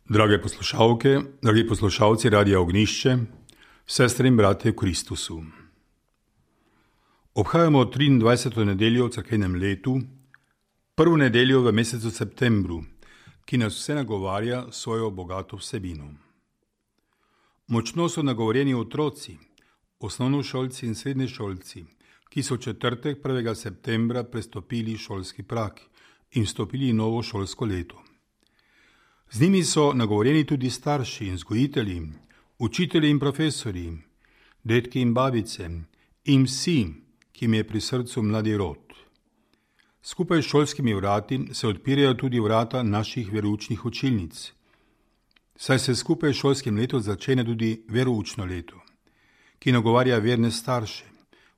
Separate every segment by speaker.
Speaker 1: Drage poslušalke, dragi poslušalci Radia Ognjišče, sestre in bratje v Kristusu. Obhajamo 23. nedeljo v cerkvenem letu, prvo nedeljo v mesecu septembru, ki nas vse nagovarja svojo bogato vsebino. Močno so nagovorjeni otroci, osnovnošolci in srednješolci, ki so v četrtek 1. septembra prestopili šolski prag in vstopili novo šolsko leto. Z njimi so nagovorjeni tudi starši in vzgojitelji, učitelji in profesori, dedki in babice in vsi, ki jim je pri srcu mladi rod. Skupaj s šolskimi vrati se odpirajo tudi vrata naših veroučnih učilnic, saj se skupaj s šolskim letom začne tudi veroučno leto, ki nagovarja verne starše,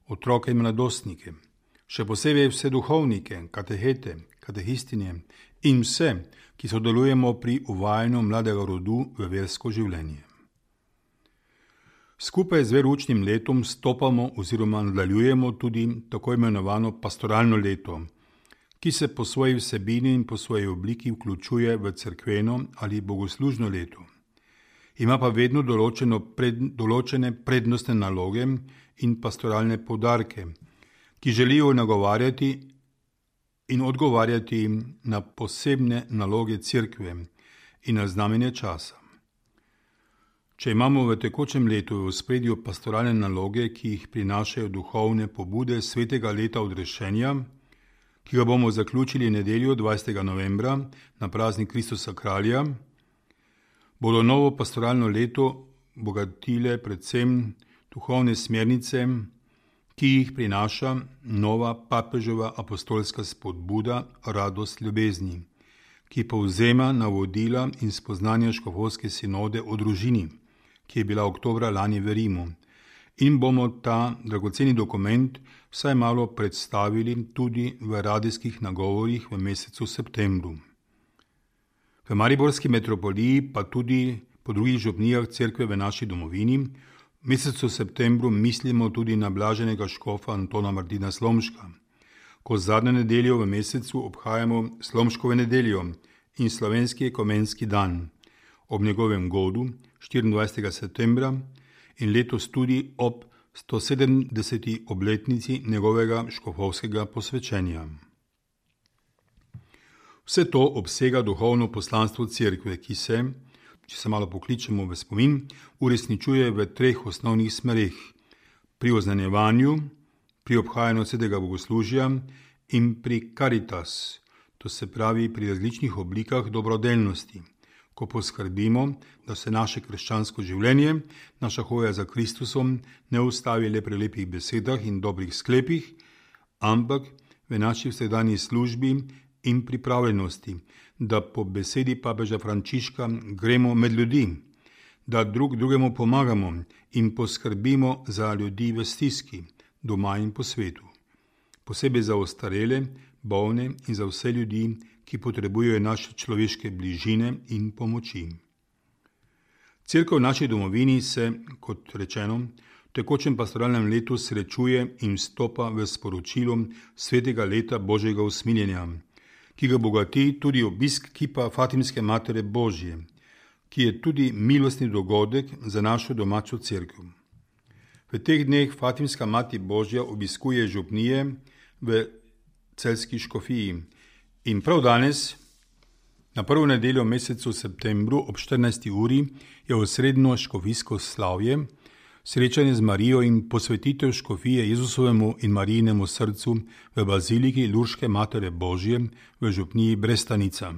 Speaker 1: otroke in mladostnike, še posebej vse duhovnike, katehete, katehistinje in vse, ki sodelujemo pri uvajanju mladega rodu v versko življenje. Skupaj z veroučnim letom stopamo oziroma nadaljujemo tudi tako imenovano pastoralno leto, ki se po svoji vsebini in po svoji obliki vključuje v cerkveno ali bogoslužno leto. Ima pa vedno določene prednostne naloge in pastoralne poudarke, ki želijo nagovarjati in odgovarjati na posebne naloge cerkve in na znamenje časa. Če imamo v tekočem letu v ospredju pastoralne naloge, ki jih prinašajo duhovne pobude svetega leta odrešenja, ki ga bomo zaključili nedeljo 20. novembra na praznik Kristusa Kralja, bodo novo pastoralno leto bogatile predvsem duhovne smernice, ki jih prinaša nova papeževa apostolska spodbuda Radost ljubezni, ki povzema navodila in spoznanja škofovske sinode o družini, ki je bila oktobra lani v Rimu, in bomo ta dragoceni dokument vsaj malo predstavili tudi v radijskih nagovorih v mesecu septembru. V mariborski metropoliji, pa tudi po drugih župnijah cerkve v naši domovini, v mesecu septembru mislimo tudi na blaženega škofa Antona Martina Slomška, ko zadnjo nedeljo v mesecu obhajamo Slomškovo nedeljo in slovenski ekumenski dan ob njegovem godu 24. septembra in letos tudi ob 170. obletnici njegovega škofovskega posvečenja. Vse to obsega duhovno poslanstvo cerkve, ki se, če se malo pokličemo v spomin, uresničuje v 3 osnovnih smereh: pri oznanjevanju, pri obhajanju svetega bogoslužja in pri caritas, to se pravi pri različnih oblikah dobrodelnosti, ko poskrbimo, da se naše krščansko življenje, naša hoja za Kristusom ne ustavi le pri lepih besedah in dobrih sklepih, ampak v naši vsakdanji službi in pripravljenosti, da po besedi papeža Frančiška gremo med ljudi, da drug drugemu pomagamo in poskrbimo za ljudi v stiski, doma in po svetu, posebej za ostarele, bolne in za vse ljudi, ki potrebujejo naše človeške bližine in pomoči. Cerkev v naši domovini se, kot rečeno, v tekočem pastoralnem letu srečuje in vstopa v sporočilo svetega leta Božjega usmiljenja, ki ga bogati tudi obisk kipa Fatimske Matere Božje, ki je tudi milostni dogodek za našo domačo cerkev. V teh dneh Fatimska Mati Božja obiskuje župnije v celjski škofiji in prav danes, na prvo nedeljo v mesecu septembru ob 14. uri, je osrednjo škofijsko slavje, srečanje z Marijo in posvetitev škofije Jezusovemu in Marijinemu srcu v baziliki Lurške Matere Božje v župniji Brestanica,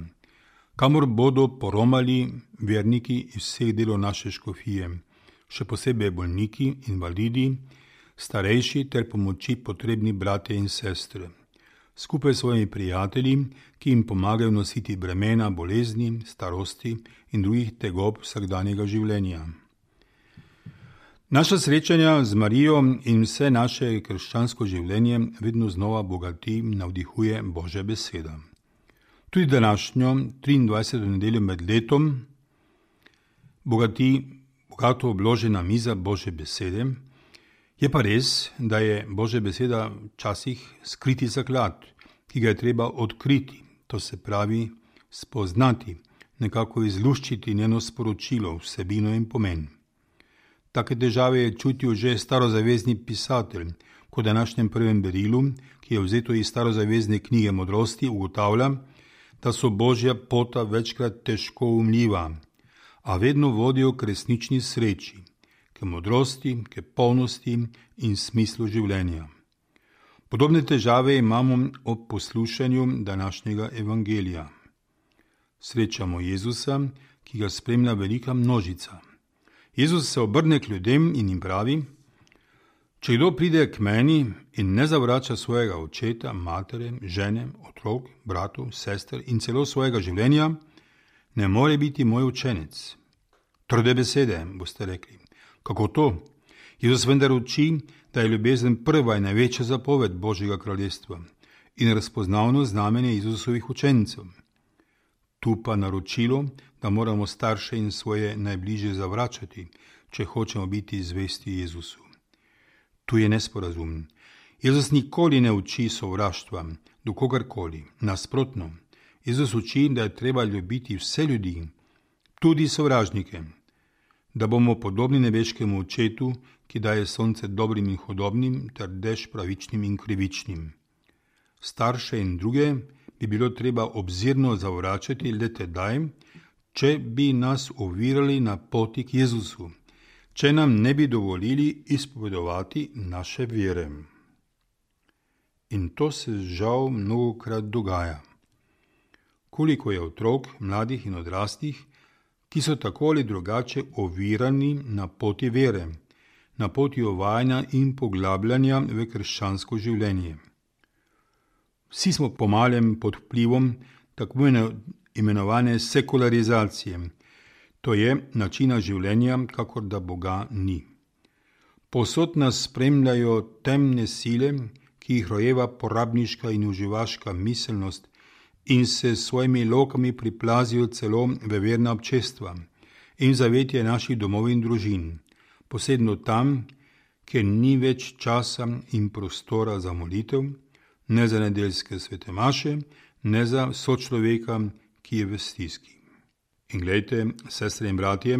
Speaker 1: kamor bodo poromali verniki iz vseh delov naše škofije, še posebej bolniki, invalidi, starejši ter pomoči potrebni bratje in sestre, skupaj s svojimi prijatelji, ki jim pomagajo nositi bremena bolezni, starosti in drugih tegob vsakdanjega življenja. Naša srečanja z Marijo in vse naše krščansko življenje vedno znova bogati in navdihuje Božja beseda. Tudi današnjo 23. nedeljo med letom bogato obložena miza Božje besede. Je pa res, da je Božja beseda včasih skriti zaklad, ki ga je treba odkriti, to se pravi spoznati, nekako izluščiti njeno sporočilo, vsebino in pomen. Take težave je čutil že starozavezni pisatelj, ko v današnjem prvem berilu, ki je vzeto iz starozavezne knjige modrosti, ugotavlja, da so Božja pota večkrat težko umljiva, a vedno vodijo k resnični sreči, k modrosti, k polnosti in smislu življenja. Podobne težave imamo ob poslušanju današnjega evangelija. Srečamo Jezusa, ki ga spremlja velika množica. Jezus se obrne k ljudem in jim pravi: če kdo pride k meni in ne zavrača svojega očeta, matere, žene, otrok, bratov, sester in celo svojega življenja, ne more biti moj učenec. Trde besede, boste rekli. Kako to? Jezus vendar uči, da je ljubezen prva in največja zapoved Božjega kraljestva in razpoznavno znamenje Jezusovih učencev. Tu pa naročilo, da moramo starše in svoje najbližje zavračati, če hočemo biti zvesti Jezusu. Tu je nesporazum. Jezus nikoli ne uči sovraštva do kogarkoli. Nasprotno, Jezus uči, da je treba ljubiti vse ljudi, tudi sovražnike, da bomo podobni nebeškemu očetu, ki daje sonce dobrim in hudobnim ter dež pravičnim in krivičnim. Starše in druge bi bilo treba obzirno zavračati le tedaj, če bi nas ovirali na poti k Jezusu, če nam ne bi dovolili izpovedovati naše vere. In to se žal mnogokrat dogaja. Koliko je otrok, mladih in odraslih, ki so tako ali drugače ovirani na poti vere, na poti uvajanja in poglabljanja v krščansko življenje. Vsi smo pomalem pod vplivom tako imenovane sekularizacije, to je načina življenja, kakor da Boga ni. Povsod nas spremljajo temne sile, ki jih rojeva porabniška in uživaška miselnost in se s svojimi lokami priplazijo celo v verna občestva in zavetje naših domov in družin, posebno tam, kjer ni več časa in prostora za molitev, ne za nedeljske svete maše, ne za sočloveka, ki je v stiski. In glejte, sestre in bratje,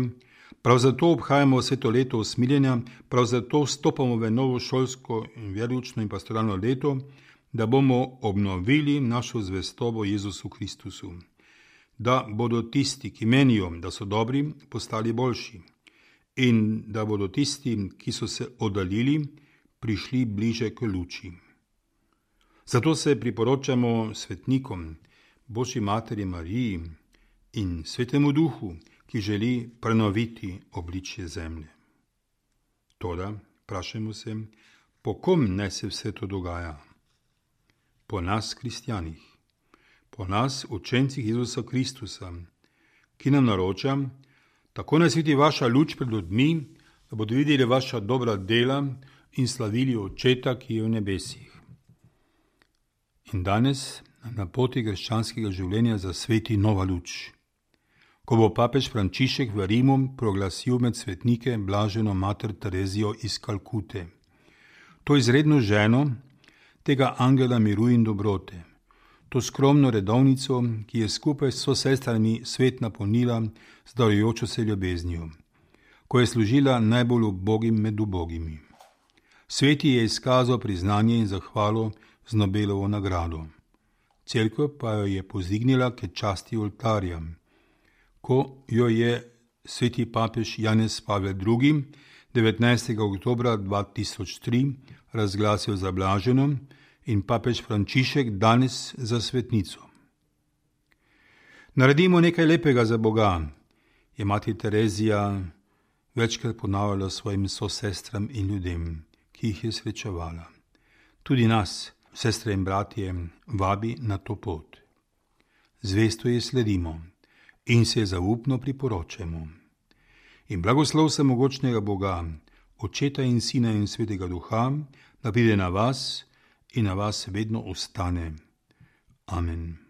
Speaker 1: prav zato obhajamo vse to leto usmiljenja, prav zato vstopamo v novo šolsko in veroučno in pastoralno leto, da bomo obnovili našo zvestobo Jezusu Kristusu, da bodo tisti, ki menijo, da so dobri, postali boljši in da bodo tisti, ki so se oddaljili, prišli bliže k luči. Zato se priporočamo svetnikom, Božji materi Mariji in Svetemu Duhu, ki želi prenoviti obličje zemlje. Toda, vprašajmo se, po kom naj se vse to dogaja? Po nas, kristjanih, po nas, učencih Jezusa Kristusa, ki nam naroča: tako naj sveti vaša luč pred ljudmi, da bodo videli vaša dobra dela in slavili Očeta, ki je v nebesih. In danes na poti krščanskega življenja zasveti nova luč. Ko bo papež Frančišek v Rimu proglasil med svetnike blaženo mater Terezijo iz Kalkute, to izredno ženo tega angela miru in dobrote, to skromno redovnico, ki je skupaj s sosestrami svet napolnila z darujočo se ljubeznijo, ko je služila najbolj ubogim med ubogimi. Sveti je izkazal priznanje in zahvalo z Nobelovo nagrado. Cerkev pa jo je povzdignila k časti oltarja, ko jo je sveti papež Janez Pavel II. 19. oktobra 2003 razglasil za blaženo in papež Frančišek danes za svetnico. Naredimo nekaj lepega za Boga, je mati Terezija večkrat ponavljala svojim sosestram in ljudem, ki jih je srečevala. Tudi nas, sestre in bratje, vabi na to pot. Zvesto je sledimo in se zaupno priporočamo. In blagoslov vsemogočnega Boga, Očeta in Sina in Svetega Duha, da pride na vas in na vas vedno ostane. Amen.